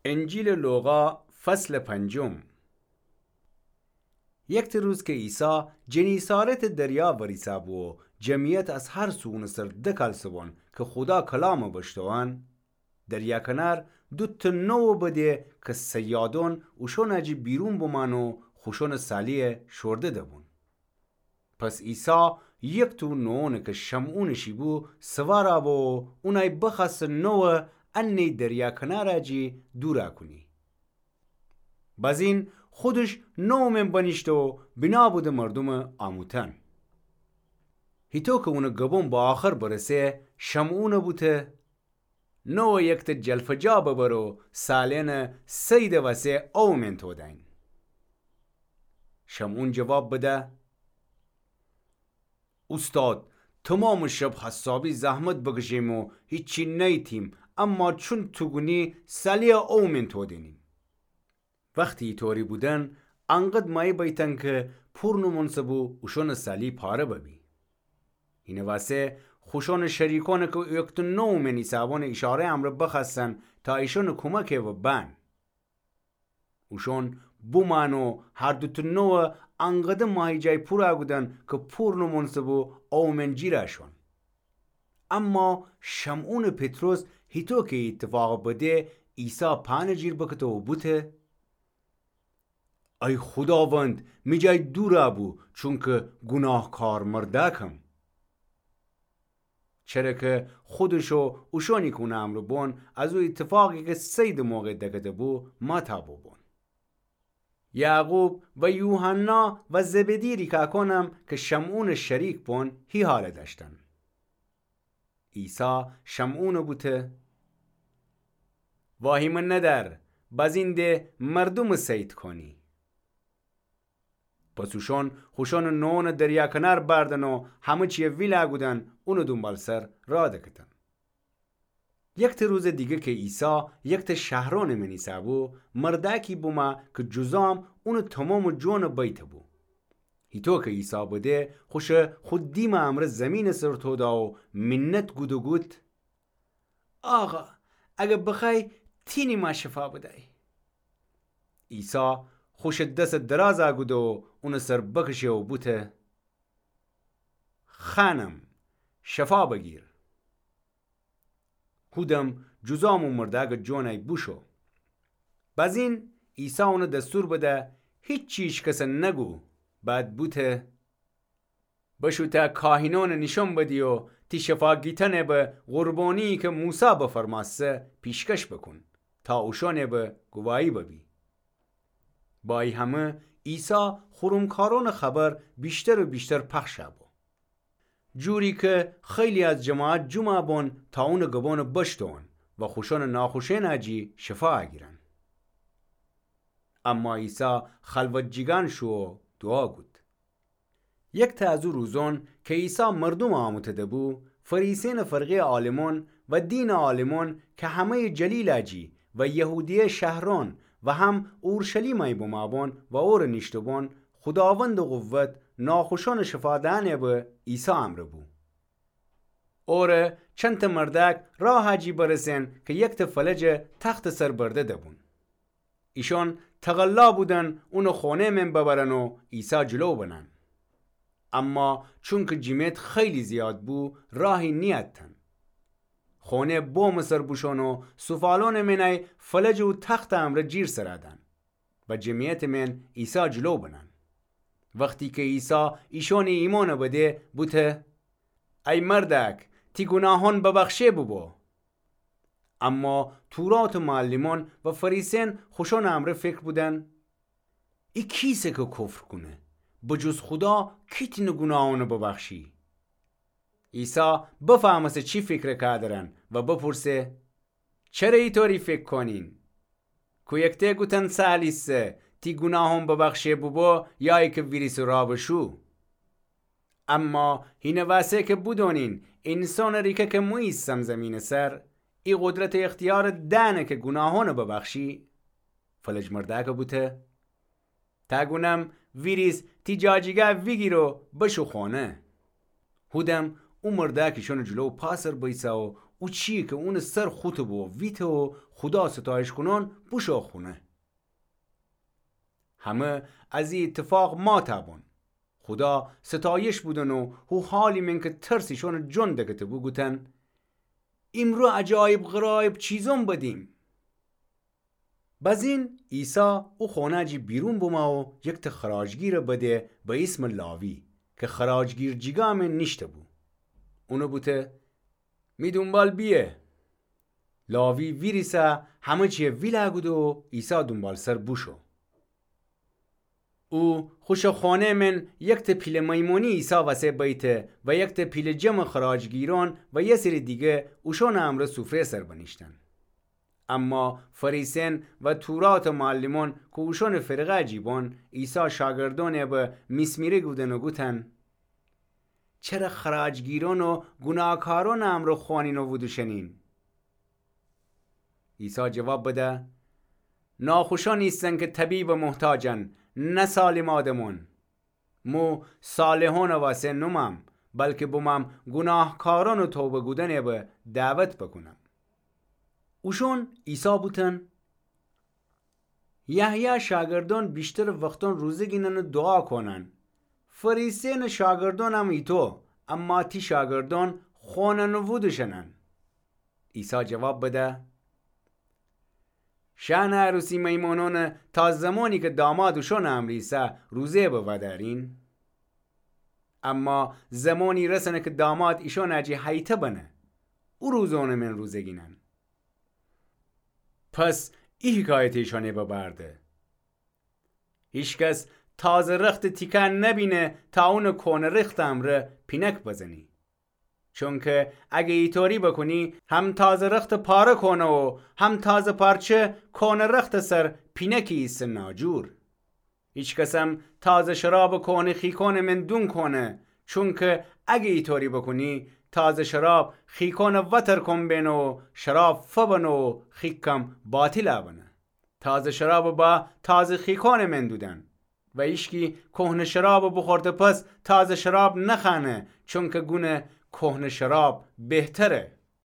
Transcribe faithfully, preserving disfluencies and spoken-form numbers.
انجیلٚ لوقا، فصلٚ پنجم. یکته روز کی عیسی جنیسارتٚ دریا وریسه‌بو و جمعیت از هر سو اونٚ سر دکالسه‌بون کی خودا کلامٚ بشتوئن، دریا کنار دوتأ نوعٚ بده کی صیادون اوشونٚ جی بیرون بمأن و خوشونٚ سالی‌یه شورده دبون. پس عیسی یکته او نوعونٚ کی شمعونٚ شی بو سوارَ بو و اونأی بخوأسته نوعٚ انه‌یی دریا کنارٚ جی دورَ کونی. بزین خودش نوعٚ من بنیشته و بنا بوده مردومٚ آموتن. هیتو کی اونٚ گبون به آخر برسه، شمعونَ بوته: نوعٚ یکته جلفجا ببر و سالینٚ صیدٚ وسه اومن تودین. شمعون جواب بده: اوستاد، تومامٚ شب حسابی زحمت بکشیم و هیچی نیتیم، اما چون تو گونی سالی‌یه اومن تودینیم. وختی ایطوری بودن، انقدر مایی بیتن کی پور نومونسه‌بو اوشونٚ سالی پاره ببی. هینٚ وسه خوشونٚ شریکونَ کی او یکته نوعٚ من ایسه‌بون ایشاره‌یٚ امرأ بخوأستن تا ایشونٚ کومکَ ببن. اوشون بومأن و هر دوتأ نوعَ انقدر ماهیجای پورَ کودن کی پور نومونسه‌بو اومن جیرَ شون. اما شمعونٚ پطرس هیتو کی ای ایتفاقَ بده، عیسی پأنٚ جیر بکته و بوته: ای خوداوند، می جای دورَ بو، چونکی گوناهکار مردأکم. چره کی خودش و اوشونی کی اونٚ امرأ بون از او ایتفاقی کی صیدٚ موقع دکده‌بو مأتابٚ بون. یعقوب و یوحنا و زبدی ریکأکونم کی شمعونٚ شریک بون هی حالَ دأشتن. عیسی شمعونَ بوته: واهیمه ندأر، بزین ده مردومَ صید کونی. پس اوشون خوشونٚ نوعونَ دریا کنار بأردن و همه چیَ ویلَ کودن اونٚ دونبالسر راه دکتن. یکته روزٚ دیگه کی عیسی یکته شهرونٚ من ایسه‌بو، مردأکی بومه کی جذام اونٚ تومامٚ جونَ بیته‌بو. هیتو کی عیسی بده، خوشَ خو دیمٚ امرأ زیمینٚ سر توده و مینت کود و گوت: آقا، اگر بخوأیی، تینی ما شفا بدأیی. عیسی خوشٚ دسَ درازَ کوده و اونٚ سر بکشه و بوته: خانم، شفا بگیر. هودم جذام او مردأکٚ جونَ بوشو. بزین عیسی اونَ دستور بده: هیچی هیچکسَ نگو. بعد بوته: بشو ته کاهینونَ نیشون بدی و تی شفا گیتنَ به قربانی‌یی کی موسی بفرمأسته پیشکش بوکون، تا اوشونَ به گواهی ببی. با ای همه عیسی خرمکارونٚ خبر ویشتر و ویشتر پخشَ بو، جوری کی خیلی از جماعت جمعَ بون تا اونٚ گبونَ بشتوئن و خوشونٚ ناخوشه‌یٚنَ جی شفا گیرن. اما عیسی خلوت جیگان شو و دوعا کود. یکته از او روزون کی عیسی مردومَ آموته‌ده‌بو، فریسیأنٚ فرقه‌یٚ عالمون و دینٚ عالمون کی همه‌یٚ جلیلٚ جی و یهودیه شهرون و هم اورشلیمَ بومَ بون و اورَ نیشته بون، خوداوندٚ قوت ناخوشونٚ شفا دئنٚ به عیسی امرأ بو. اورَ چندتأ مردأک راهٚ جی برسه‌ن کی یکتأ فلجَ تختٚ سر برده‌ده‌بون. ایشون تقلا بودن اونٚ خونه‌یٚ من ببرن و عیسی جلو بنن. اما چونکی جمعیت خیلی زیاد بو، راهی نیأتن. خونه‌یٚ بومٚ سر بوشون و سوفالونٚ من ای فلجٚ او تختٚ امرأ جیر سرَ دأن و جمعیتٚ من عیسی جلو بنن. وختی کی عیسی ایشونٚ ایمأنَ بده، بوته: ای مردأک، تی گوناهون ببخشه بوبو. اما توراتٚ معلمون و فریسیأن خوشونٚ امرأ فکر بودن: ای کیسه کی کفر کونه، به جز خودا کی تأنه گوناهونَ ببخشی؟ عیسی بفهمسته چی فکر کودرن و بپرسه: چره ایطوری فکر کونین؟ کو یکتأ گوتن سهل ایسه، تی گوناهون ببخشه بوبو، یا ایکه ویریسٚ راه بشو؟ اما هینٚ وأسه کی بدونین اینسانٚ ریکه کی مو ایسم زیمینٚ سر، ای قدرت و اختیارَ دأنه کی گوناهونَ ببخشی، فلج مردأکَ بوته: تا گونم ویریس تی جاجیگا ویگیر و بشو خونه. هودم او مردأک ایشونٚ جلو پا سر بیسه و او چیی کی اونٚ سر خوطه بو ویته و خودا ستایش کونان بوشو خونه. همه از ای ایتفاق ماتَ بون. خودا ستایش بودن و هو حالی من کی ترس ایشانٚ جان دکته بو گوتن: ایمرو عجایب غرایب چیزان بدیم. بزین عیسی او خانه جی بیرون بمه و یکته خراجگیرٚ بده به ایسمٚ لاوی کی خراجگیر جیگا من نیشته بو. اونَ بوته: می دونبال بیه. لاوی ویریسه همه چیه ویلَ گوده و عیسی دونبالسر بوشو. او خوشٚ خانه من یکته پیله میمونی عیسی وسه بیته و یکته پیله جمعٚ خراجگیران و یه سری دیگه اوشانٚ امرأ سوفره سر بنیشتن. اما فریسین و توراتٚ معلمون کی اوشانٚ فرقه جی بون، عیسی شاگردانٚ به میسمیره گودن و گوتن: چره خراجگیران و گوناهکارانٚ امرأ خوأنین و وودوشنین؟ عیسی جواب بده: ناخوشان ایسن کی طبیبٚ محتاجن، نه سالم آدمون. مو صالحانٚ وسه نومم، بلکی بومم گوناهکارانٚ توبه گودنٚ به دعوت بکونم. اوشون عیسی بوتن: یحیی شاگردان ویشترٚ وختان روزه گینن و دوعا کونن. فریسینٚ شاگردانم ایتو، اما تی شاگردان خوأنن و وودوشنن. عیسی جواب بده: شأنٚ عروسی میمونانٚ تا زمانی کی داماد اوشانٚ امرأ ایسه روزه به ودأرین؟ اما زمانی رسنه کی داماد ایشانٚ جی هیته بنه، او روزانٚ من روزه گینن. پس ای حکایت ایشانٚ به بر ده: هیکس تازه رختٚ تیکه نبینه تا اونٚ کونٚ رختٚ امرأ پینک بزنی. چونکی اگه ایطوری بکونی، هم تازه رختٚ پاره کونه و هم تازه پارچه کونٚ رختٚ سر پینکی ایسه ناجور. هیکسم تازه شرابٚ کونٚ خیکانٚ من دون کونه، چونکی اگه ایطوری بکونی، تازه شراب خیکانٚ وتر کون بینه و شراب فبنه و خیکم باطیلٚ بنه. تازه شرابٚ با تازه خیکانٚ من دودن. و هیشکی کهنه شرابٚ بوخورته پس تازه شراب نخأنه، چونکی گونه کهنه شراب بهتره.